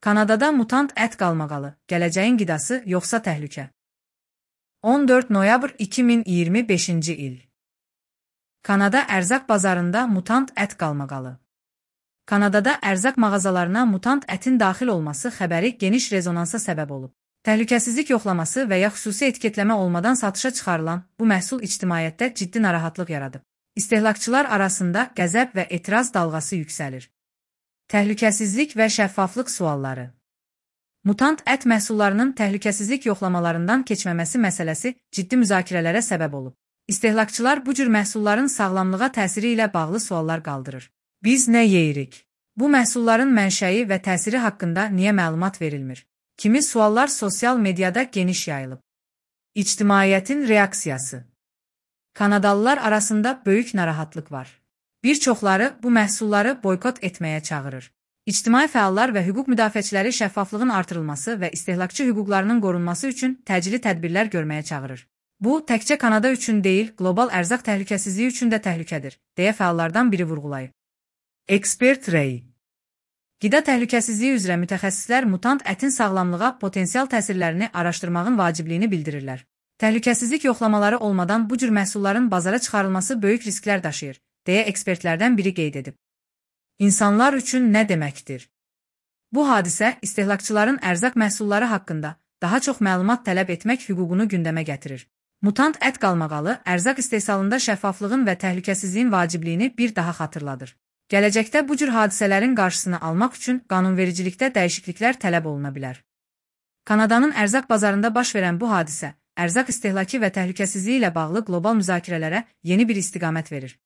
Kanadada mutant ət qalmaqalı, gələcəyin qidası yoxsa təhlükə? 14 noyabr 2025-ci il. Kanada ərzaq bazarında mutant ət qalmaqalı. Kanadada ərzaq mağazalarına mutant ətin daxil olması xəbəri geniş rezonansa səbəb olub. Təhlükəsizlik yoxlaması və ya xüsusi etiketləmə olmadan satışa çıxarılan bu məhsul ictimaiyyətdə ciddi narahatlıq yaradıb. İstehlakçılar arasında qəzəb və etiraz dalğası yüksəlir. Təhlükəsizlik və şəffaflıq sualları. Mutant ət məhsullarının təhlükəsizlik yoxlamalarından keçməməsi məsələsi ciddi müzakirələrə səbəb olub. İstehlakçılar bu cür məhsulların sağlamlığa təsiri ilə bağlı suallar qaldırır. Biz nə yeyirik? Bu məhsulların mənşəyi və təsiri haqqında niyə məlumat verilmir? Kimi suallar sosial mediada geniş yayılıb. İctimaiyyətin reaksiyası. Kanadalılar arasında böyük narahatlıq var. Bir çoxları bu məhsulları boykot etməyə çağırır. İctimai fəallar və hüquq müdafiəçiləri şəffaflığın artırılması və istehlakçı hüquqlarının qorunması üçün təcili tədbirlər görməyə çağırır. Bu, təkcə Kanada üçün deyil, qlobal ərzaq təhlükəsizliyi üçün də təhlükədir, deyə fəallardan biri vurğulayıb. Ekspert rəyi. Qida təhlükəsizliyi üzrə mütəxəssislər mutant ətin sağlamlığa potensial təsirlərini araşdırmağın vacibliyini bildirirlər. Təhlükəsizlik yoxlamaları olmadan bu cür məhsulların bazara çıxarılması böyük risklər daşıyır, deyə ekspertlərdən biri qeyd edib. İnsanlar üçün nə deməkdir? Bu hadisə istehlakçıların ərzaq məhsulları haqqında daha çox məlumat tələb etmək hüququnu gündəmə gətirir. Mutant ət qalmaqalı ərzaq istehsalında şəffaflığın və təhlükəsizliyin vacibliyini bir daha xatırladır. Gələcəkdə bu cür hadisələrin qarşısını almaq üçün qanunvericilikdə dəyişikliklər tələb oluna bilər. Kanadanın ərzaq bazarında baş verən bu hadisə, ərzaq istehlakı və təhlükəsizliyi ilə bağlı qlobal müzakirələrə yeni bir istiqamət verir.